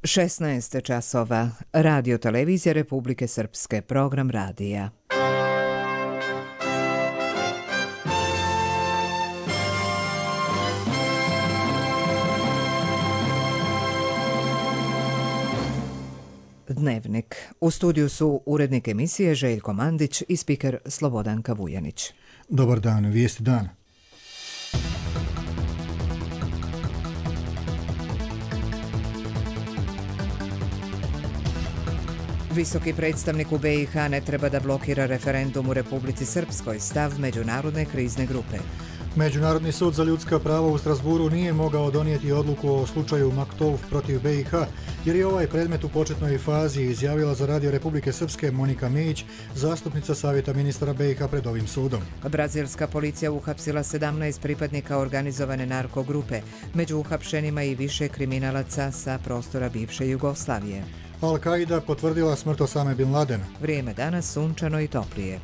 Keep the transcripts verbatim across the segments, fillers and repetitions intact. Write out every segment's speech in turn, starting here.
šesnaest časova. Radio televizija Republike Srpske. Program radija. Dnevnik. U studiju su urednik emisije Željko Mandić i spiker Slobodanka Vujanić. Dobar dan, vijesti dana. Visoki predstavnik u B i H ne treba da blokira referendum u Republici Srpskoj, stav Međunarodne krizne grupe. Međunarodni sud za ljudska prava u Strasburu nije mogao donijeti odluku o slučaju Maktov protiv B i H, jer je ovaj predmet u početnoj fazi, izjavila za Radio Republike Srpske Monika Mijić, zastupnica Savjeta ministara B i H pred ovim sudom. Brazilska policija uhapsila sedamnaest pripadnika organizovane narkogrupe, među uhapšenima i više kriminalaca sa prostora bivše Jugoslavije. Al-Qaida potvrdila smrt Osame bin Ladena. Vrijeme danas sunčano i toplije.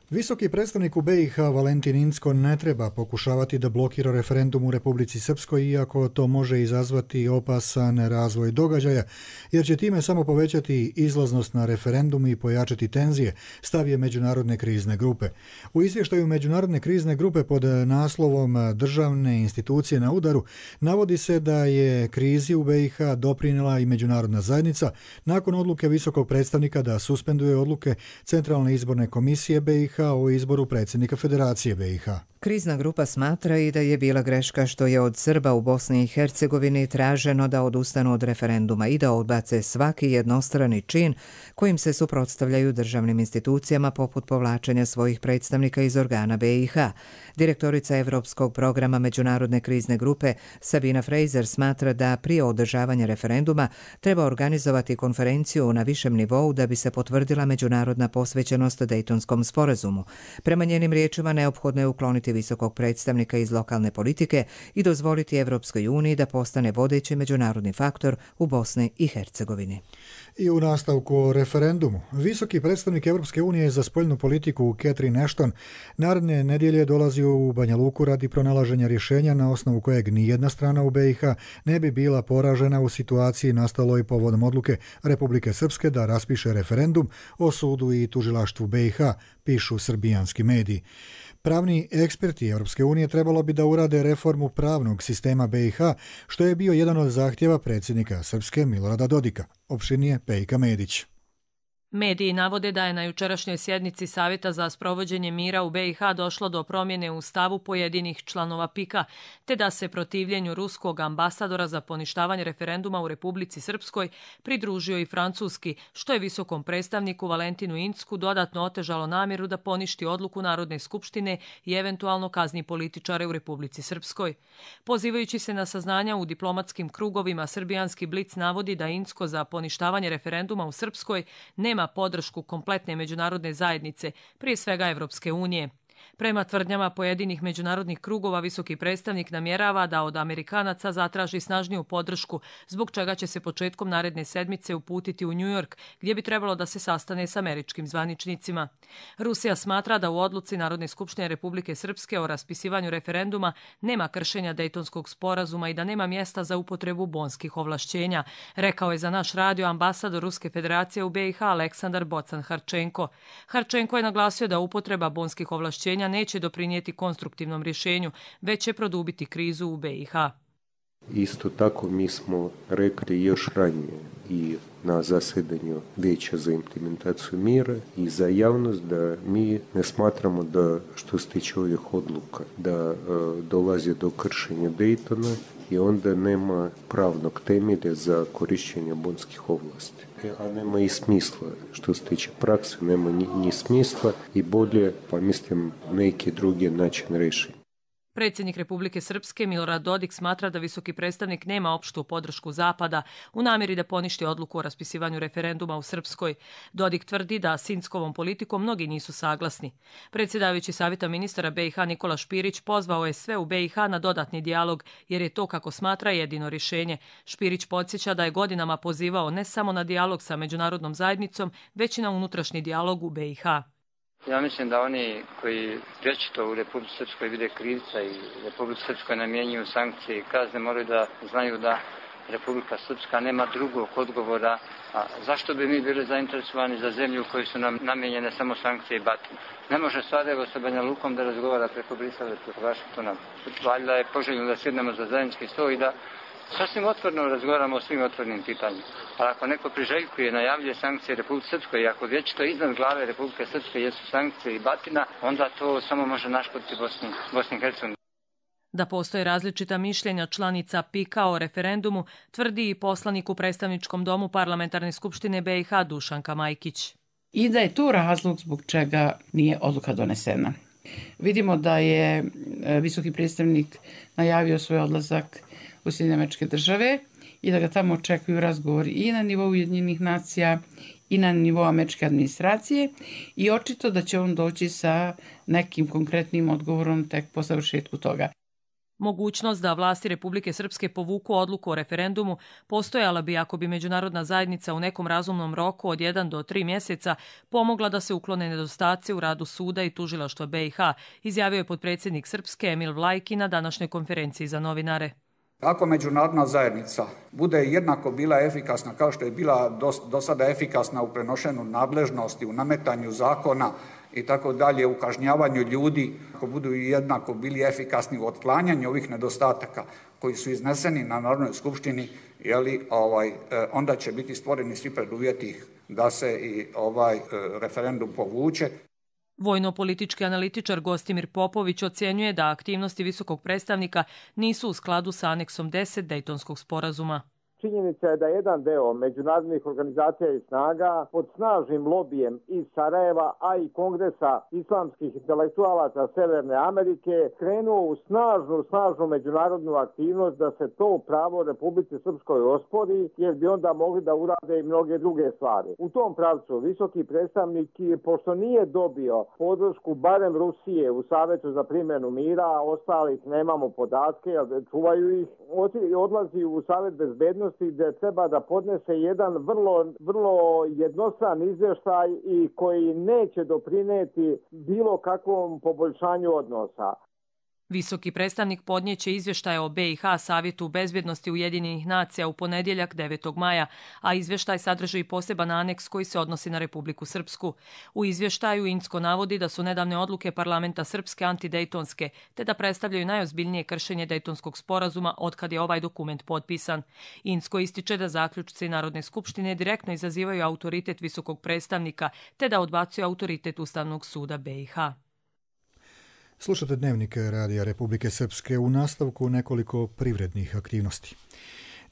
Visoki predstavnik u B i H Valentin Incko ne treba pokušavati da blokira referendum u Republici Srpskoj, iako to može izazvati opasan razvoj događaja, jer će time samo povećati izlaznost na referendum i pojačati tenzije, stav je Međunarodne krizne grupe. U izvještaju Međunarodne krizne grupe pod naslovom Državne institucije na udaru navodi se da je krizi u B i H doprinijela i međunarodna zajednica nakon odluke visokog predstavnika da suspenduje odluke Centralne izborne komisije B i H o izboru predsjednika Federacije B i H. Krizna grupa smatra i da je bila greška što je od Srba u Bosni i Hercegovini traženo da odustanu od referenduma i da odbace svaki jednostrani čin kojim se suprotstavljaju državnim institucijama poput povlačenja svojih predstavnika iz organa B i H. Direktorica Evropskog programa Međunarodne krizne grupe Sabina Fraser smatra da prije održavanja referenduma treba organizovati konferenciju na višem nivou da bi se potvrdila međunarodna posvećenost Dejtonskom sporazumu. Prema njenim riječima neophodno je ukloniti visokog predstavnika iz lokalne politike i dozvoliti Evropskoj uniji da postane vodeći međunarodni faktor u Bosni i Hercegovini. I u nastavku o referendumu, visoki predstavnik Evropske unije za spoljnu politiku Catherine Ashton naredne nedjelje dolazi u Banja Luku radi pronalaženja rješenja na osnovu kojeg nijedna strana u B i H ne bi bila poražena u situaciji nastaloj povodom odluke Republike Srpske da raspiše referendum o sudu i tužilaštvu B i H, pišu srbijanski mediji. Pravni eksperti Europske unije trebalo bi da urade reformu pravnog sistema B i H, što je bio jedan od zahtjeva predsjednika Srpske Milorada Dodika. Opširnije Pejka Medić. Mediji navode da je na jučerašnjoj sjednici Savjeta za sprovođenje mira u B i H došlo do promjene u stavu pojedinih članova PIK-a, te da se protivljenju ruskog ambasadora za poništavanje referenduma u Republici Srpskoj pridružio i francuski, što je visokom predstavniku Valentinu Incku dodatno otežalo namjeru da poništi odluku Narodne skupštine i eventualno kazni političare u Republici Srpskoj. Pozivajući se na saznanja u diplomatskim krugovima, srbijanski Blic navodi da Incko za poništavanje referenduma u Srpskoj nema podršku kompletne međunarodne zajednice, prije svega Evropske unije. Prema tvrdnjama pojedinih međunarodnih krugova, visoki predstavnik namjerava da od Amerikanaca zatraži snažniju podršku, zbog čega će se početkom naredne sedmice uputiti u New York, gdje bi trebalo da se sastane s američkim zvaničnicima. Rusija smatra da u odluci Narodne skupštine Republike Srpske o raspisivanju referenduma nema kršenja Dejtonskog sporazuma i da nema mjesta za upotrebu bonskih ovlašćenja, rekao je za naš radio ambasador Ruske federacije u B i H Aleksandar Bocan-Harčenko. Harčenko je naglasio da upotreba bonskih ovlašćenja neće doprinijeti konstruktivnom rješenju, već će produbiti krizu u B i H. Isto tako mi smo rekli još ranije i na zasjedanju Vijeća za implementaciju mira i za javnost da mi ne smatramo da što se tiče ovih odluka da uh, dolazi do kršenja Daytona i onda nema pravnog temelja za korištenje bonskih ovlasti. A nema i smisla, što se tiče prakse, nema ni, ni smisla i bolje, pa mislim, neki drugi način rješenja. Predsjednik Republike Srpske Milorad Dodik smatra da visoki predstavnik nema opštu podršku Zapada u namjeri da poništi odluku o raspisivanju referenduma u Srpskoj. Dodik tvrdi da s Inckovom politikom mnogi nisu saglasni. Predsjedavajući Savjeta ministara B i H Nikola Špirić pozvao je sve u B i H na dodatni dijalog, jer je to, kako smatra, jedino rješenje. Špirić podsjeća da je godinama pozivao ne samo na dijalog sa međunarodnom zajednicom, već i na unutrašnji dijalog u B i H. Ja mislim da oni koji vječito u Republici Srpskoj vide krivca i Republici Srpskoj namjenjuju sankcije i kazne moraju da znaju da Republika Srpska nema drugog odgovora. A zašto bi mi bili zainteresovani za zemlju u kojoj su nam namijenjene samo sankcije i batine? Ne može Sarajevo sa Banja Lukom da razgovara preko Brisela, preko Vašingtona. Valjda je poželjno da sjednemo za zajednički sto i da sasvim otvoreno razgovaramo o svim otvorenim pitanjima. Ali ako neko priželjkuje, najavljuje sankcije Republike Srpskoj i ako vječito iznad glave Republike Srpske jesu sankcije i batina, onda to samo može naškoditi Bosni, Bosni i Hercegovini. Da postoje različita mišljenja članica PIK-a o referendumu, tvrdi i poslanik u predstavničkom domu Parlamentarne skupštine B i H Dušanka Majkić. I da je to razlog zbog čega nije odluka donesena. Vidimo da je visoki predstavnik najavio svoj odlazak u Sjedinjene Američke Države i da ga tamo očekuju razgovori i na nivou Ujedinjenih nacija i na nivou američke administracije i očito da će on doći sa nekim konkretnim odgovorom tek po završetku toga. Mogućnost da vlasti Republike Srpske povuku odluku o referendumu postojala bi ako bi međunarodna zajednica u nekom razumnom roku od jedan do tri mjeseca pomogla da se uklone nedostaci u radu suda i tužilaštva B i H, izjavio je potpredsjednik Srpske Emil Vlajki na današnjoj konferenciji za novinare. Ako međunarodna zajednica bude jednako bila efikasna kao što je bila do, do sada efikasna u prenošenju nadležnosti, u nametanju zakona i tako dalje, u kažnjavanju ljudi, ako budu jednako bili efikasni u otklanjanju ovih nedostataka koji su izneseni na Narodnoj skupštini, jeli, ovaj, onda će biti stvoreni svi preduvjeti da se i ovaj referendum povuče. Vojno-politički analitičar Gostimir Popović ocjenjuje da aktivnosti visokog predstavnika nisu u skladu sa aneksom deset Dejtonskog sporazuma. Činjenica je da jedan deo međunarodnih organizacija i snaga pod snažnim lobijem iz Sarajeva, a i Kongresa islamskih intelektualaca Severne Amerike krenuo u snažnu, snažnu međunarodnu aktivnost da se to pravo Republici Srpskoj ospori, jer bi onda mogli da urade i mnoge druge stvari. U tom pravcu visoki predstavnik, pošto nije dobio podršku barem Rusije u Savetu za primjenu mira, a ostalih nemamo podatke, čuvaju ih, odlazi u Savet bezbednosti gdje treba da podnese jedan vrlo, vrlo jednostran izvještaj i koji neće doprineti bilo kakvom poboljšanju odnosa. Visoki predstavnik podnijeće izvještaje o B i H Savjetu bezbjednosti Ujedinjenih nacija u ponedjeljak devetog maja, a izvještaj sadrži i poseban aneks koji se odnosi na Republiku Srpsku. U izvještaju Incko navodi da su nedavne odluke parlamenta Srpske antidejtonske, te da predstavljaju najozbiljnije kršenje Dejtonskog sporazuma otkad je ovaj dokument potpisan. Incko ističe da zaključci Narodne skupštine direktno izazivaju autoritet visokog predstavnika, te da odbacuju autoritet Ustavnog suda B i H. Slušate Dnevnik Radija Republike Srpske, u nastavku nekoliko privrednih aktivnosti.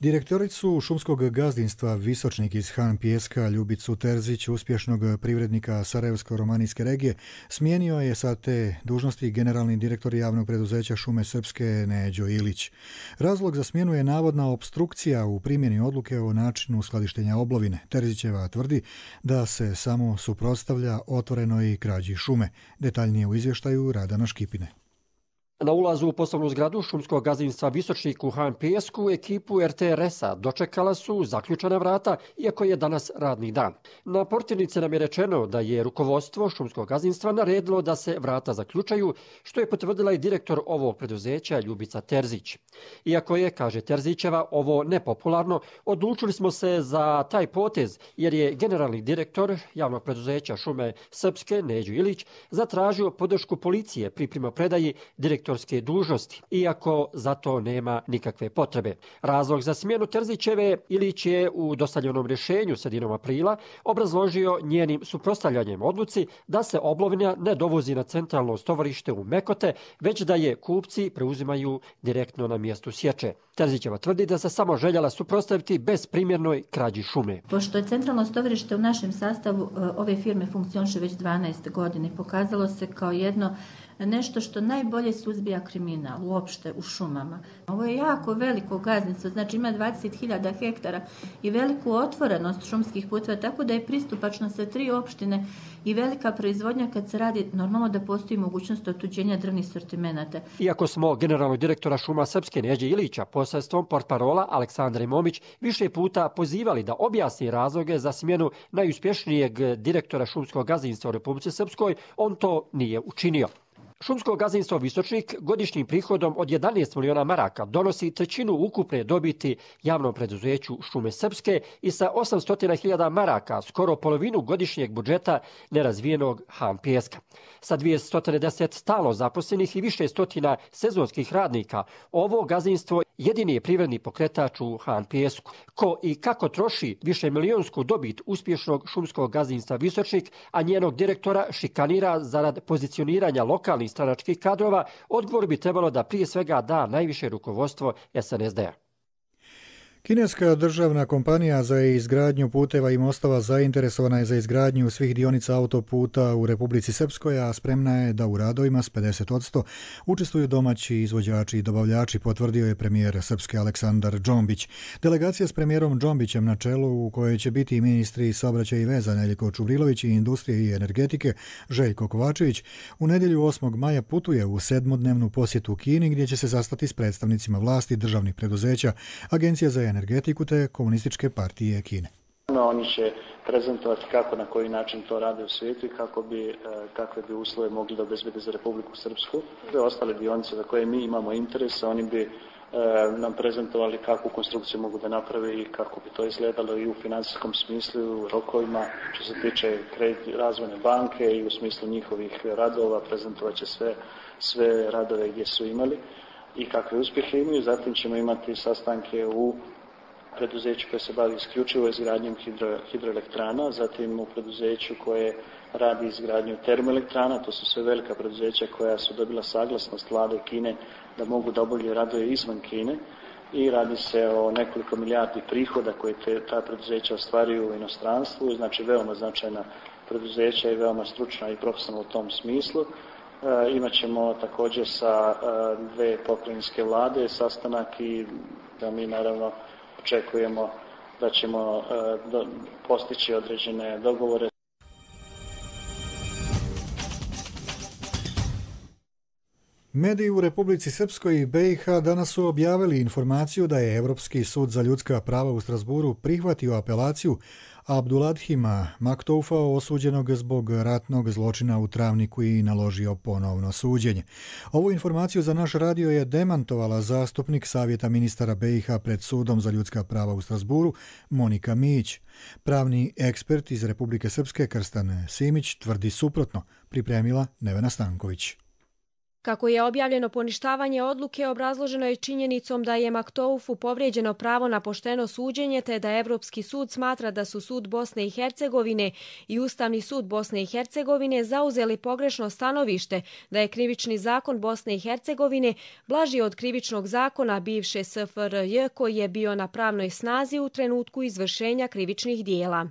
Direktoricu šumskog gazdinstva Visočnik iz Han Pijeska Ljubicu Terzić, uspješnog privrednika Sarajevsko-romanijske regije, smijenio je sa te dužnosti generalni direktor javnog preduzeća Šume Srpske Neđo Ilić. Razlog za smjenu je navodna opstrukcija u primjeni odluke o načinu skladištenja oblovine. Terzićeva tvrdi da se samo suprotstavlja otvorenoj krađi šume. Detaljnije u izvještaju Radana Škipine. Na ulazu u poslovnu zgradu šumskog gazdinstva Visočnik u Han Pijesku ekipu R T R S-a dočekala su zaključana vrata, iako je danas radni dan. Na portirnici nam je rečeno da je rukovodstvo šumskog gazdinstva naredilo da se vrata zaključaju, što je potvrdila i direktor ovog preduzeća Ljubica Terzić. Iako je, kaže Terzićeva, ovo nepopularno, odlučili smo se za taj potez jer je generalni direktor javnog preduzeća Šume Srpske Neđo Ilić zatražio podršku policije pri primopredaji direktora dužnosti, iako za to nema nikakve potrebe. Razlog za smjenu Terzićeve Ilić je u dostavljenom rješenju sredinom aprila obrazložio njenim suprotstavljanjem odluci da se oblovina ne dovozi na centralno stovarište u Mekote, već da je kupci preuzimaju direktno na mjestu sječe. Terzićeva tvrdi da se samo željela suprotstaviti bezprimjernoj krađi šume. Pošto je centralno stovarište u našem sastavu ove firme funkcioniše već dvanaest godina, pokazalo se kao jedno nešto što najbolje suzbija kriminal uopšte u šumama. Ovo je jako veliko gazdinstvo, znači ima dvadeset hiljada hektara i veliku otvorenost šumskih puteva, tako da je pristupačno sa tri opštine i velika proizvodnja kad se radi, normalno da postoji mogućnost otuđenja drvnih sortimenata. Iako smo generalnog direktora Šuma Srpske Neđe Ilića posredstvom portparola Aleksandre Momić više puta pozivali da objasni razloge za smjenu najuspješnijeg direktora šumskog gazdinstva u Republici Srpskoj, on to nije učinio. Šumsko gazdinstvo Visočnik godišnjim prihodom od jedanaest miliona maraka donosi trećinu ukupne dobiti javnom preduzeću Šume Srpske i sa osamsto hiljada maraka skoro polovinu godišnjeg budžeta nerazvijenog Han Pijeska. Sa dvjesto deset stalno zaposlenih i više stotina sezonskih radnika, ovo gazdinstvo jedini je privredni pokretač u Han Pijesku. Ko i kako troši više milionsku dobit uspješnog šumskog gazdinstva Visočnik, a njenog direktora šikanira zarad pozicioniranja lokalnih stranačkih kadrova, odgovor bi trebalo da prije svega da najviše rukovodstvo S N S D-a. Kineska državna kompanija za izgradnju puteva i mostova zainteresovana je za izgradnju svih dionica autoputa u Republici Srpskoj, a spremna je da u radovima s pedeset posto učestvuju domaći izvođači i dobavljači, potvrdio je premijer Srpske Aleksandar Džombić. Delegacija s premijerom Džombićem na čelu, u kojoj će biti ministri saobraćaja i veza Neljko Čuvrilović i industrije i energetike Željko Kovačević, u nedjelju osmog maja putuje u sedmodnevnu posjetu Kini, gdje će se sastati s predstavnicima vlasti, državnih preduzeća, Agencija za energetiku te Komunističke partije Kine. Oni će prezentovati kako, na koji način to rade u svijetu i kako bi, kakve bi uslove mogli da obezbede za Republiku Srpsku. Sve ostale dionice za koje mi imamo interesa, oni bi nam prezentovali kakvu konstrukciju mogu da naprave i kako bi to izgledalo i u financijskom smislu, i u rokovima, što se tiče kredit razvojne banke i u smislu njihovih radova, prezentovat će sve, sve radove gdje su imali i kakve uspjehe imaju. Zatim ćemo imati sastanke u preduzeću koje se bavi isključivo izgradnjom hidro, hidroelektrana, zatim u preduzeću koje radi izgradnju termoelektrana, to su sve velika preduzeća koja su dobila saglasnost vlade Kine da mogu da obavljaju radove izvan Kine i radi se o nekoliko milijardi prihoda koje te, ta preduzeća ostvaruju u inostranstvu, znači veoma značajna preduzeća i veoma stručna i profesionalna u tom smislu. E, imat ćemo također sa e, dve pokrajinske vlade sastanak i da mi naravno očekujemo da ćemo e, do, postići određene dogovore. Mediji u Republici Srpskoj i B i H danas su objavili informaciju da je Evropski sud za ljudska prava u Strasburu prihvatio apelaciju Abduladhima Maktoufa, osuđenog zbog ratnog zločina u Travniku, i naložio ponovno suđenje. Ovu informaciju za naš radio je demantovala zastupnik Savjeta ministara B i H pred Sudom za ljudska prava u Strasburu Monika Mić. Pravni ekspert iz Republike Srpske Krstan Simić tvrdi suprotno, pripremila Nevena Stanković. Kako je objavljeno, poništavanje odluke obrazloženo je činjenicom da je Maktoufu povrijeđeno pravo na pošteno suđenje, te da Evropski sud smatra da su Sud Bosne i Hercegovine i Ustavni sud Bosne i Hercegovine zauzeli pogrešno stanovište da je krivični zakon Bosne i Hercegovine blaži od krivičnog zakona bivše S F R J koji je bio na pravnoj snazi u trenutku izvršenja krivičnih dijela.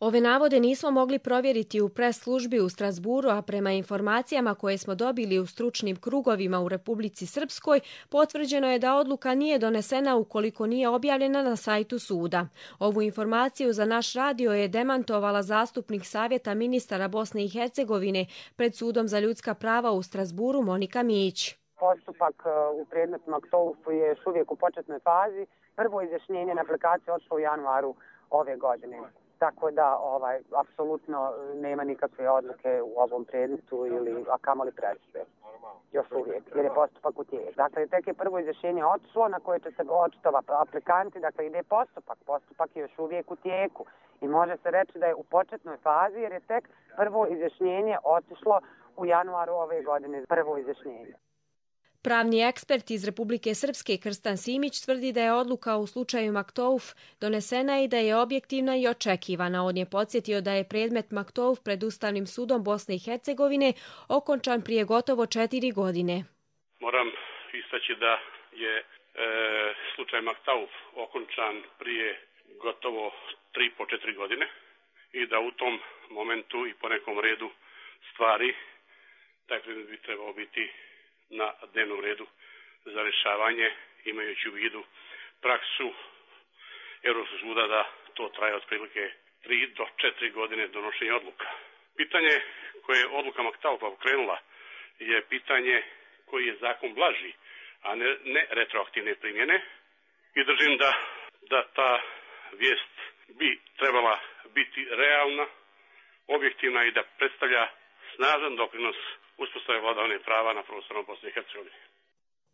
Ove navode nismo mogli provjeriti u pres službi u Strasburu, a prema informacijama koje smo dobili u stručnim krugovima u Republici Srpskoj, potvrđeno je da odluka nije donesena ukoliko nije objavljena na sajtu suda. Ovu informaciju za naš radio je demantovala zastupnik Savjeta ministara Bosne i Hercegovine pred Sudom za ljudska prava u Strasburu Monika Mić. Postupak u predmetu Maktoufu je još uvijek u početnoj fazi. Prvo izjašnjenje na aplikaciju odšlo u januaru ove godine. Tako da ovaj apsolutno nema nikakve odluke u ovom predmetu ili a kamoli presude. Još uvijek, jer je postupak u tijeku. Dakle, tek je prvo izjašnjenje otišlo na koje će se očitovati aplikanti, dakle ide postupak. Postupak je još uvijek u tijeku i može se reći da je u početnoj fazi jer je tek prvo izjašnjenje otišlo u januaru ove godine. Prvo izjašnjenje. Pravni ekspert iz Republike Srpske Krstan Simić tvrdi da je odluka u slučaju Maktouf donesena i da je objektivna i očekivana. On je podsjetio da je predmet Maktouf pred Ustavnim sudom Bosne i Hercegovine okončan prije gotovo četiri godine. Moram istaći da je e, slučaj Maktouf okončan prije gotovo tri po četiri godine i da u tom momentu i po nekom redu stvari taj predmet bi trebao biti na dnevnom redu za rješavanje, imajući u vidu praksu Europskog suda da to traje otprilike tri do četiri godine donošenja odluka. Pitanje koje je odluka Maktaufa pokrenula je pitanje koji je zakon blaži, a ne, ne retroaktivne primjene, i držim da, da ta vijest bi trebala biti realna, objektivna i da predstavlja snažan doprinos uspostave vladavine prava na prostoru Bosne i Hercegovine.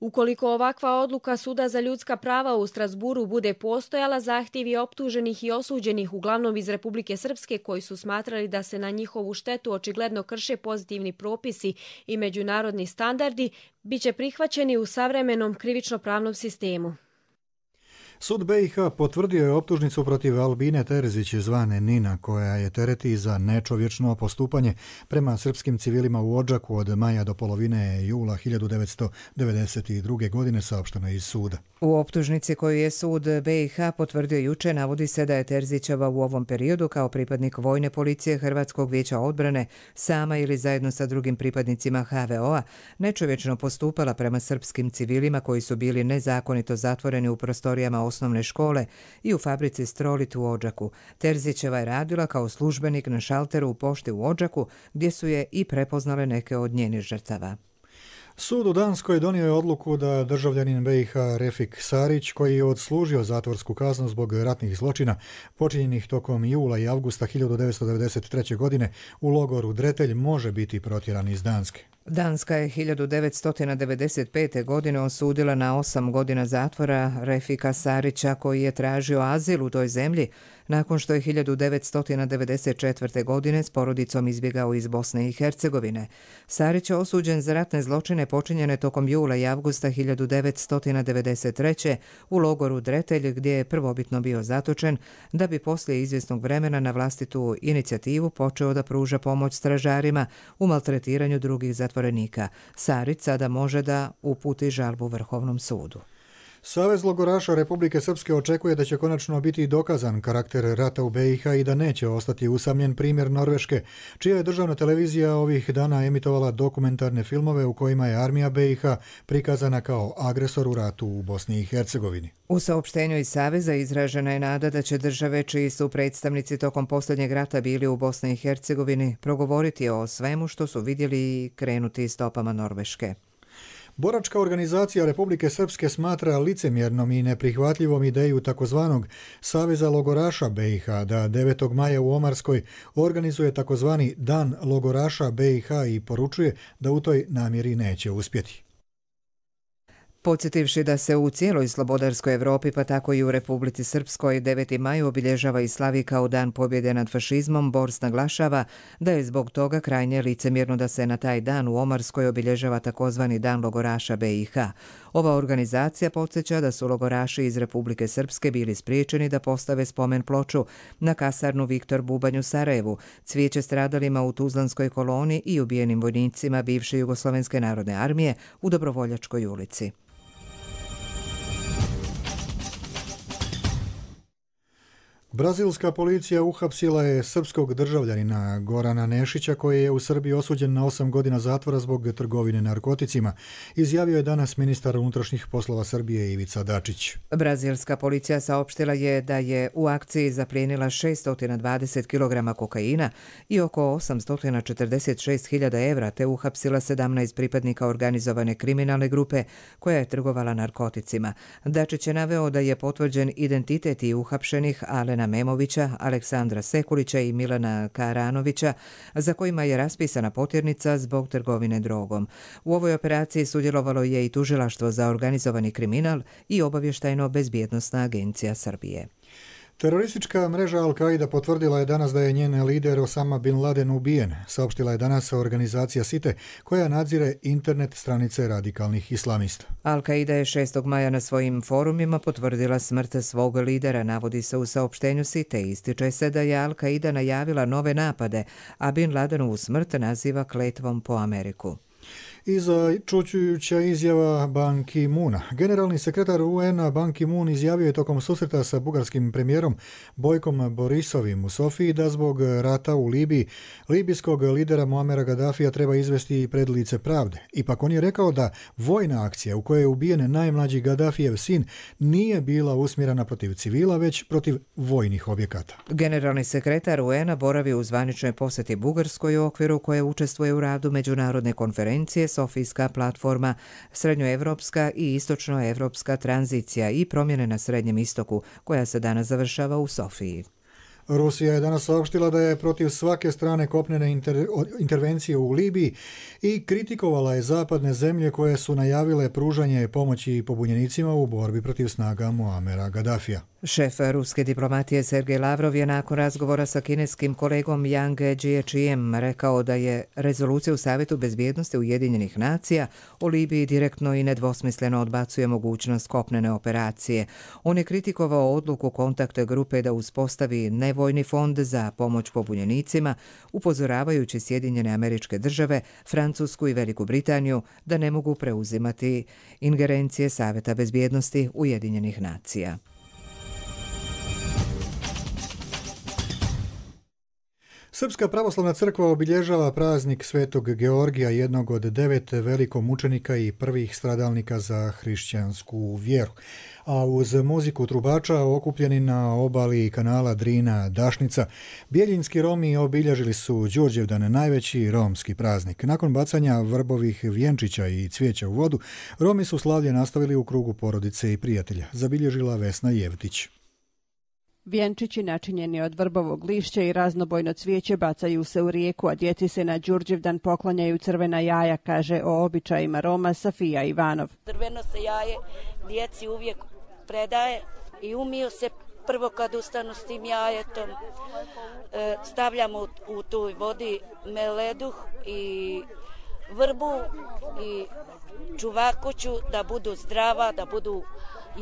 Ukoliko ovakva odluka Suda za ljudska prava u Strasburu bude postojala, zahtjevi optuženih i osuđenih uglavnom iz Republike Srpske koji su smatrali da se na njihovu štetu očigledno krše pozitivni propisi i međunarodni standardi, biće prihvaćeni u savremenom krivično-pravnom sistemu. Sud B i H potvrdio je optužnicu protiv Albine Terzić zvane Nina, koja je tereti za nečovječno postupanje prema srpskim civilima u Odžaku od maja do polovine jula hiljadu devetsto devedeset druge. godine, saopšteno iz suda. U optužnici koju je sud B i H potvrdio juče navodi se da je Terzićeva u ovom periodu kao pripadnik vojne policije Hrvatskog vijeća odbrane sama ili zajedno sa drugim pripadnicima H V O-a nečovječno postupala prema srpskim civilima koji su bili nezakonito zatvoreni u prostorijama osnovne škole i u fabrici Strolit u Odžaku. Terzićeva je radila kao službenik na šalteru u pošti u Odžaku, gdje su je i prepoznale neke od njenih žrtava. Sud u Danskoj donio je odluku da državljanin B i H Refik Sarić, koji je odslužio zatvorsku kaznu zbog ratnih zločina počinjenih tokom jula i avgusta hiljadu devetsto devedeset treće. godine u logoru Dretelj, može biti protjeran iz Danske. Danska je hiljadu devetsto devedeset pete. godine osudila na osam godina zatvora Refika Sarića, koji je tražio azil u toj zemlji nakon što je hiljadu devetsto devedeset četvrte. godine s porodicom izbjegao iz Bosne i Hercegovine. Sarić je osuđen za ratne zločine počinjene tokom jula i avgusta hiljadu devetsto devedeset treće. u logoru Dretelj, gdje je prvobitno bio zatočen, da bi poslije izvjesnog vremena na vlastitu inicijativu počeo da pruža pomoć stražarima u maltretiranju drugih zatvorenika. Sarić sada može da uputi žalbu Vrhovnom sudu. Savez logoraša Republike Srpske očekuje da će konačno biti dokazan karakter rata u B i H i da neće ostati usamljen primjer Norveške, čija je državna televizija ovih dana emitovala dokumentarne filmove u kojima je armija B i H prikazana kao agresor u ratu u Bosni i Hercegovini. U saopštenju iz Saveza izražena je nada da će države čiji su predstavnici tokom posljednjeg rata bili u Bosni i Hercegovini progovoriti o svemu što su vidjeli i krenuti stopama Norveške. Boračka organizacija Republike Srpske smatra licemjernom i neprihvatljivom ideju takozvanog Saveza logoraša B i H da devetog maja u Omarskoj organizuje takozvani Dan logoraša B i H i poručuje da u toj namjeri neće uspjeti. Podsjetivši da se u cijeloj slobodarskoj Evropi, pa tako i u Republici Srpskoj, deveti maj obilježava i slavi kao dan pobjede nad fašizmom, Bors naglašava da je zbog toga krajnje licemjerno da se na taj dan u Omarskoj obilježava takozvani Dan logoraša B i H. Ova organizacija podsjeća da su logoraši iz Republike Srpske bili spriječeni da postave spomen ploču na kasarnu Viktor Bubanj u Sarajevu, cvijeće stradalima u Tuzlanskoj koloni i ubijenim vojnicima bivše Jugoslovenske narodne armije u Dobrovoljačkoj ulici. Brazilska policija uhapsila je srpskog državljanina Gorana Nešića, koji je u Srbiji osuđen na osam godina zatvora zbog trgovine narkoticima, izjavio je danas ministar unutrašnjih poslova Srbije Ivica Dačić. Brazilska policija saopštila je da je u akciji zaplijenila šesto dvadeset kilograma kokaina i oko osamsto četrdeset šest hiljada evra, te uhapsila sedamnaest pripadnika organizovane kriminalne grupe koja je trgovala narkoticima. Dačić je naveo da je potvrđen identitet i uhapšenih Alena Memovića, Aleksandra Sekulića i Milana Karanovića, za kojima je raspisana potjernica zbog trgovine drogom. U ovoj operaciji sudjelovalo je i Tužilaštvo za organizovani kriminal i Obavještajno-bezbjednosna agencija Srbije. Teroristička mreža Al-Qaida potvrdila je danas da je njen lider Osama Bin Laden ubijen, saopštila je danas organizacija S I T E, koja nadzire internet stranice radikalnih islamista. Al-Qaida je šestog maja na svojim forumima potvrdila smrt svog lidera, navodi se u saopštenju S I T E. Ističe se da je Al-Qaida najavila nove napade, a Bin Ladenovu smrt naziva kletvom po Ameriku. I začuđujuća izjava Ban Ki-moona. Generalni sekretar U N-a Ban Ki-moon izjavio je tokom susreta sa bugarskim premijerom Bojkom Borisovim u Sofiji da zbog rata u Libiji libijskog lidera Muamera Gaddafija treba izvesti pred lice pravde. Ipak on je rekao da vojna akcija u kojoj je ubijen najmlađi Gaddafijev sin nije bila usmjerena protiv civila, već protiv vojnih objekata. Generalni sekretar U N-a boravi u zvaničnoj posjeti Bugarskoj u okviru koje učestvuje u radu međunarodne konferencije Sofijska platforma, srednjoevropska i istočnoevropska tranzicija i promjene na Srednjem istoku, koja se danas završava u Sofiji. Rusija je danas saopštila da je protiv svake strane kopnene inter, intervencije u Libiji i kritikovala je zapadne zemlje koje su najavile pružanje pomoći pobunjenicima u borbi protiv snaga Muamera Gaddafija. Šef ruske diplomatije Sergej Lavrov je nakon razgovora sa kineskim kolegom Yang Jiechijem rekao da je rezolucija u Savjetu bezbjednosti Ujedinjenih nacija o Libiji direktno i nedvosmisleno odbacuje mogućnost kopnene operacije. On je kritikovao odluku kontakt grupe da uspostavi nevojni fond za pomoć pobunjenicima, upozoravajući Sjedinjene Američke Države, Francusku i Veliku Britaniju da ne mogu preuzimati ingerencije Savjeta bezbjednosti Ujedinjenih nacija. Srpska pravoslavna crkva obilježava praznik Svetog Georgija, jednog od devet velikomučenika i prvih stradalnika za hrišćansku vjeru. A uz muziku trubača okupljeni na obali kanala Drina-Dašnica, Bijeljinski Romi obilježili su Đurđevdan, najveći romski praznik. Nakon bacanja vrbovih vjenčića i cvijeća u vodu, Romi su slavlje nastavili u krugu porodice i prijatelja, zabilježila Vesna Jevtić. Vjenčići načinjeni od vrbovog lišća i raznobojno cvijeće bacaju se u rijeku, a djeci se na Đurđevdan poklanjaju crvena jaja, kaže o običajima Roma Safija Ivanov. Crveno se jaje djeci uvijek predaje i umiju se prvo kad ustanu s tim jajetom. E, stavljamo u, u toj vodi meleduh i vrbu i čuvakuću da budu zdrava, da budu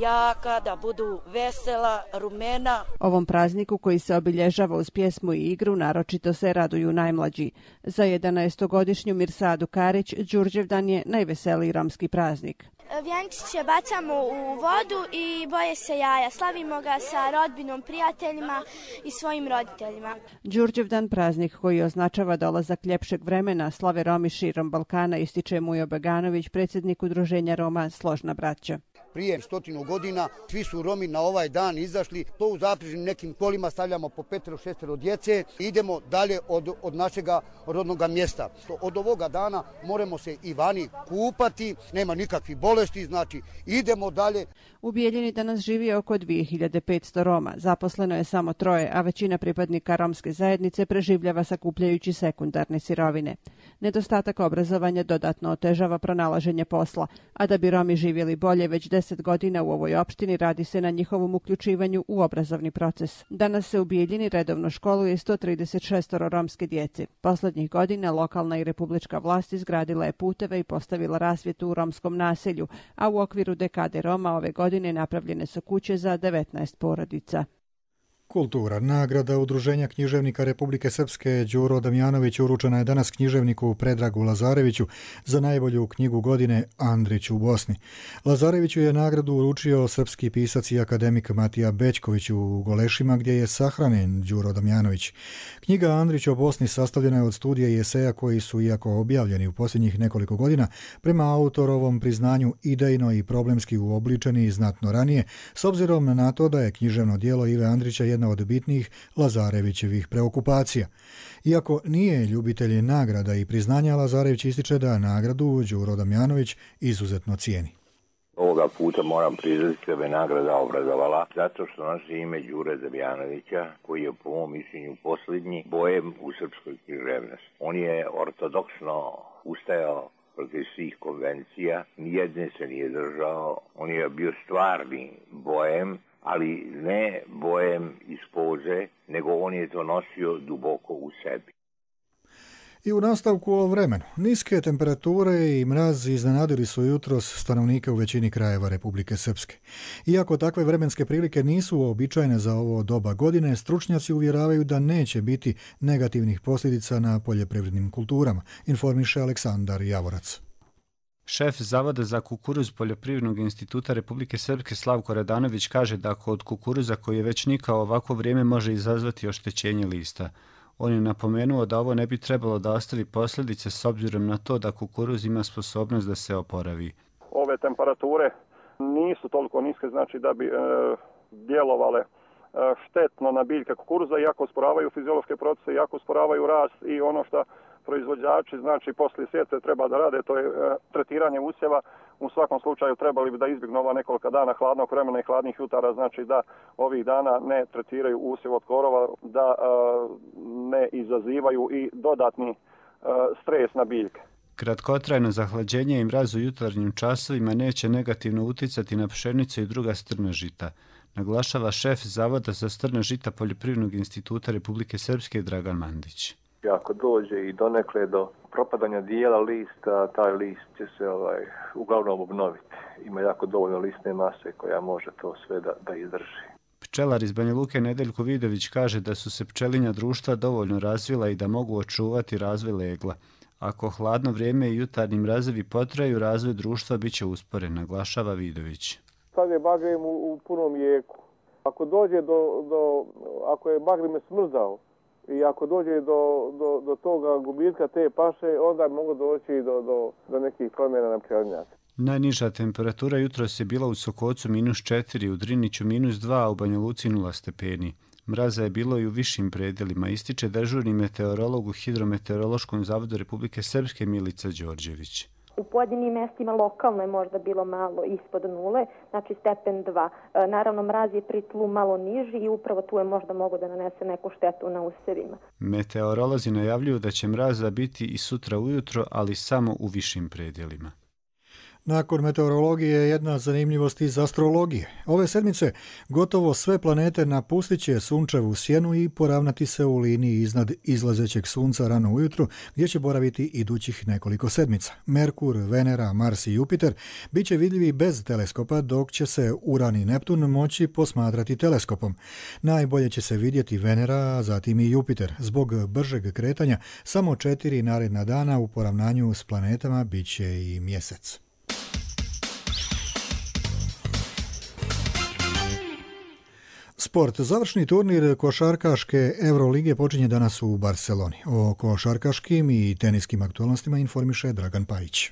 jaka, da budu vesela, rumena. Ovom prazniku koji se obilježava uz pjesmu i igru naročito se raduju najmlađi. Za jedanaestogodišnju Mirsadu Karić Đurđevdan je najveseliji romski praznik. Vjenčiće bacamo u vodu i boje se jaja. Slavimo ga sa rodbinom, prijateljima i svojim roditeljima. Đurđevdan, praznik koji označava dolazak ljepšeg vremena, slave Romi širom Balkana, ističe Mujo Beganović, predsjednik udruženja Roma Složna braća. Prije stotinu godina svi su Romi na ovaj dan izašli, to u zapreženim nekim kolima stavljamo po petero, šestero djece i idemo dalje od, od našega rodnog mjesta. Od ovoga dana moramo se i vani kupati, nema nikakvih bolesti, znači idemo dalje. U Bijeljini danas živi oko dvije hiljade petsto Roma, zaposleno je samo troje, a većina pripadnika romske zajednice preživljava sakupljajući sekundarne sirovine. Nedostatak obrazovanja dodatno otežava pronalaženje posla, a da bi Romi živjeli bolje već deset godina u ovoj opštini radi se na njihovom uključivanju u obrazovni proces. Danas se u Bijeljini redovno školuje sto trideset šest romske djece. Poslednjih godina lokalna i republička vlast izgradila je puteve i postavila rasvjetu u romskom naselju, a u okviru dekade Roma ove godine napravljene su kuće za devetnaest porodica. Kultura. Nagrada Udruženja književnika Republike Srpske Đuro Damjanović uručena je danas književniku Predragu Lazareviću za najbolju knjigu godine Andrić u Bosni. Lazareviću je nagradu uručio srpski pisac i akademik Matija Bećković u Golešima, gdje je sahranjen Đuro Damjanović. Knjiga Andrić o Bosni sastavljena je od studija i eseja koji su, iako objavljeni u posljednjih nekoliko godina, prema autorovom priznanju idejno i problemski uobličeni znatno ranije, s obzirom na to da je književno djelo Ive Andrića jedna od bitnih Lazarevićevih preokupacija. Iako nije ljubitelj nagrada i priznanja, Lazarević ističe da nagradu Đuro Damjanović izuzetno cijeni. Ovoga puta moram priznati da me nagrada obrazovala zato što nosi ime Đure Damjanovića, koji je po mom mišljenju posljednji bojem u srpskoj književnosti. On je ortodoksno ustajao protiv svih konvencija, nijedne se nije držao, on je bio stvarni bojem, ali ne bojem iz poze, nego on je to nosio duboko u sebi. I u nastavku o vremenu. Niske temperature i mraz iznenadili su jutros stanovnike u većini krajeva Republike Srpske. Iako takve vremenske prilike nisu uobičajene za ovo doba godine, stručnjaci uvjeravaju da neće biti negativnih posljedica na poljoprivrednim kulturama, informiše Aleksandar Javorac. Šef Zavoda za kukuruz Poljoprivrednog instituta Republike Srpske Slavko Radanović kaže da kod kukuruza koji je već nikao ovako vrijeme može izazvati oštećenje lista. On je napomenuo da ovo ne bi trebalo da ostavi posljedice s obzirom na to da kukuruz ima sposobnost da se oporavi. Ove temperature nisu toliko niske, znači da bi e, djelovale e, štetno na biljke kukuruza, iako usporavaju fiziološke procese, iako usporavaju rast i ono što proizvođači, znači poslije sjetve treba da rade, to je e, tretiranje usjeva. U svakom slučaju trebali bi da izbjegnu ova nekoliko dana hladnog vremena i hladnih jutara, znači da ovih dana ne tretiraju usjev od korova, da e, ne izazivaju i dodatni e, stres na biljke. Kratkotrajno zahlađenje i mraz u jutarnjim časovima neće negativno uticati na pšenicu i druga strna žita, naglašava šef Zavoda za strna žita Poljoprivrednog instituta Republike Srpske Dragan Mandić. Ako dođe i donekle do propadanja dijela lista, taj list će se ovaj, uglavnom obnoviti. Ima jako dovoljno listne mase koja može to sve da, da izdrži. Pčelar iz Banja Luke Nedeljko Vidović kaže da su se pčelinja društva dovoljno razvila i da mogu očuvati razvoj legla. Ako hladno vrijeme i jutarnji mrazevi potraju, razvoj društva bit će usporen, naglašava Vidović. Sad je bagrim u, u punom jeku. Ako dođe do, do ako je bagrim smrzao i ako dođe do, do, do toga gubitka te paše, onda mogu doći do, do, do nekih promjena na pčelinjaci. Najniža temperatura jutros je bila u Sokocu minus četiri, u Driniću minus dva, a u Banja Luci nula stepeni. Mraza je bilo i u višim predelima, ističe dežurni meteorolog u Hidrometeorološkom zavodu Republike Srpske Milica Đorđević. U pojedinim mjestima lokalno je možda bilo malo ispod nule, znači stepen dva. E, naravno, mraz je pri tlu malo niži i upravo tu je možda mogo da nanese neku štetu na usjevima. Meteorolozi najavljuju da će mraza biti i sutra ujutro, ali samo u višim predelima. Nakon meteorologije jedna zanimljivost iz astrologije. Ove sedmice gotovo sve planete napustit će sunčevu sjenu i poravnati se u liniji iznad izlazećeg sunca rano ujutru, gdje će boraviti idućih nekoliko sedmica. Merkur, Venera, Mars i Jupiter bit će vidljivi bez teleskopa, dok će se Uran i Neptun moći posmatrati teleskopom. Najbolje će se vidjeti Venera, a zatim i Jupiter. Zbog bržeg kretanja, samo četiri naredna dana u poravnanju s planetama bit će i mjesec. Sport. Završni turnir košarkaške Eurolige počinje danas u Barceloni. O košarkaškim i teniskim aktualnostima informiše Dragan Pajić.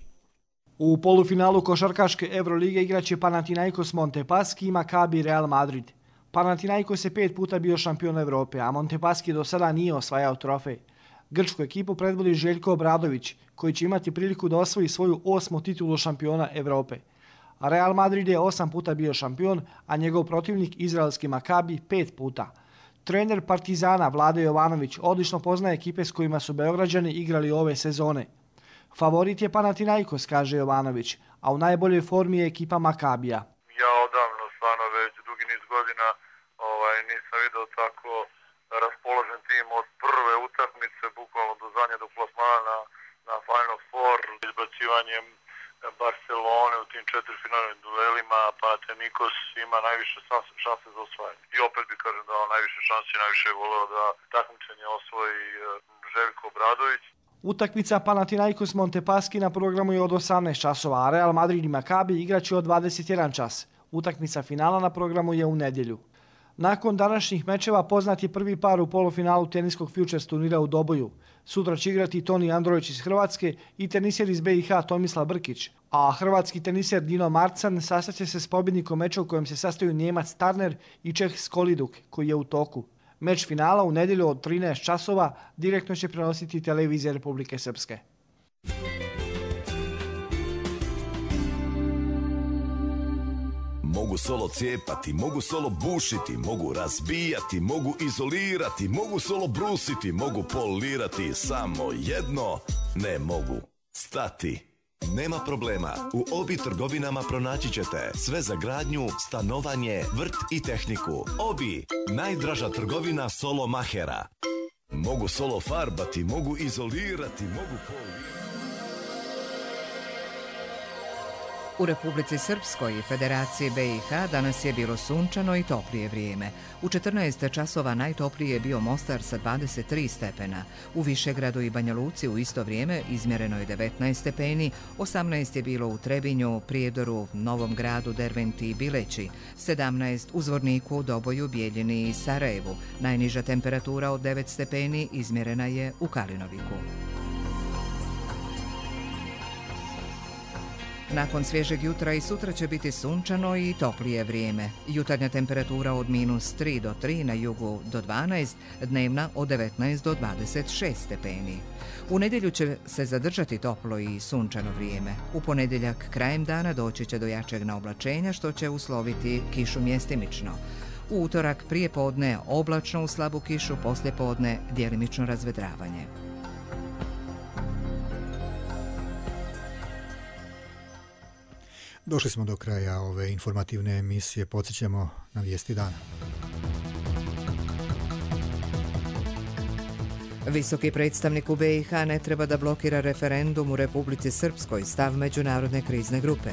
U polufinalu košarkaške Eurolige igraće Panathinaikos Montepaschi i Maccabi Real Madrid. Panathinaikos je pet puta bio šampion Evrope, a Montepaschi do sada nije osvajao trofej. Grčku ekipu predvodi Željko Obradović, koji će imati priliku da osvoji svoju osmu titulu šampiona Evrope. Real Madrid je osam puta bio šampion, a njegov protivnik izraelski Maccabi pet puta. Trener Partizana Vlade Jovanović odlično poznaje ekipe s kojima su Beograđani igrali ove sezone. Favorit je Panathinaikos, kaže Jovanović, a u najboljoj formi je ekipa Maccabija. Ja odavno, stvarno već dugi niz godina ovaj, nisam vidio tako raspoložen tim od prve utakmice, bukvalno do zadnje, do plasmana na, na Final Four, izbacivanjem Barcelone u tim četiri finalnim duelima, Panathinaikos ima najviše šanse za osvajanje. I opet bi kažem da on najviše šanse i najviše je voleo da takmičenje osvoji Željko Obradović. Utakmica Panathinaikos Montepaschi na programu je od osamnaest časova, a Real Madrid i Maccabi igraće od dvadeset jedan čas. Utakmica finala na programu je u nedjelju. Nakon današnjih mečeva poznat je prvi par u polufinalu teniskog Futures turnira u Doboju. Sutra će igrati Toni Andrović iz Hrvatske i teniser iz B i H Tomislav Brkić, a hrvatski teniser Dino Marcan sastaće se s pobjednikom meča u kojem se sastaju Njemac Tarner i Čeh Skoliduk, koji je u toku. Meč finala u nedjelju od trinaest časova direktno će prenositi televizija Republike Srpske. Mogu solo cijepati, mogu solo bušiti, mogu razbijati, mogu izolirati, mogu solo brusiti, mogu polirati, samo jedno ne mogu stati. Nema problema, u Obi trgovinama pronaći ćete sve za gradnju, stanovanje, vrt i tehniku. Obi, najdraža trgovina solo mahera. Mogu solo farbati, mogu izolirati, mogu polirati. U Republici Srpskoj i Federaciji B i H danas je bilo sunčano i toplije vrijeme. U četrnaest časova najtoplije je bio Mostar sa dvadeset tri stepena. U Višegradu i Banja Luci u isto vrijeme izmjereno je devetnaest stepeni, osamnaest je bilo u Trebinju, Prijedoru, Novom Gradu, Derventi i Bileći, sedamnaest u Zvorniku, Doboju, Bijeljini i Sarajevu. Najniža temperatura od devet stepeni izmjerena je u Kalinoviku. Nakon svježeg jutra i sutra će biti sunčano i toplije vrijeme. Jutarnja temperatura od minus tri do tri, na jugu do dvanaest, dnevna od devetnaest do dvadeset šest stepeni. U nedjelju će se zadržati toplo i sunčano vrijeme. U ponedjeljak krajem dana doći će do jačeg naoblačenja što će usloviti kišu mjestimično. U utorak prije podne oblačno u slabu kišu, poslije podne djelimično razvedravanje. Došli smo do kraja ove informativne emisije. Podsjećamo na vijesti dana. Visoki predstavnik u B i H ne treba da blokira referendum u Republici Srpskoj, stav Međunarodne krizne grupe.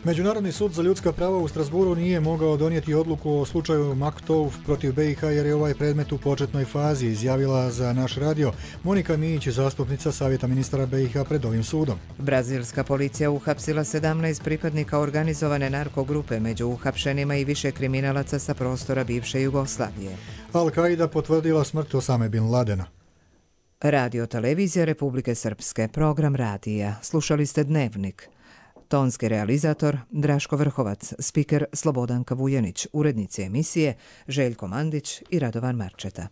Međunarodni sud za ljudska prava u Strasburu nije mogao donijeti odluku o slučaju Maktouf protiv B i H jer je ovaj predmet u početnoj fazi, izjavila za naš radio Monika Mijić, zastupnica Savjeta ministara B i H pred ovim sudom. Brazilska policija uhapsila sedamnaest pripadnika organizovane narkogrupe, među uhapšenima i više kriminalaca sa prostora bivše Jugoslavije. Al-Qaida potvrdila smrt Osame bin Ladena. Radio televizija Republike Srpske, program radija. Slušali ste Dnevnik. Tonski realizator Draško Vrhovac, spiker Slobodanka Vujanić, urednici emisije Željko Mandić i Radovan Marčeta.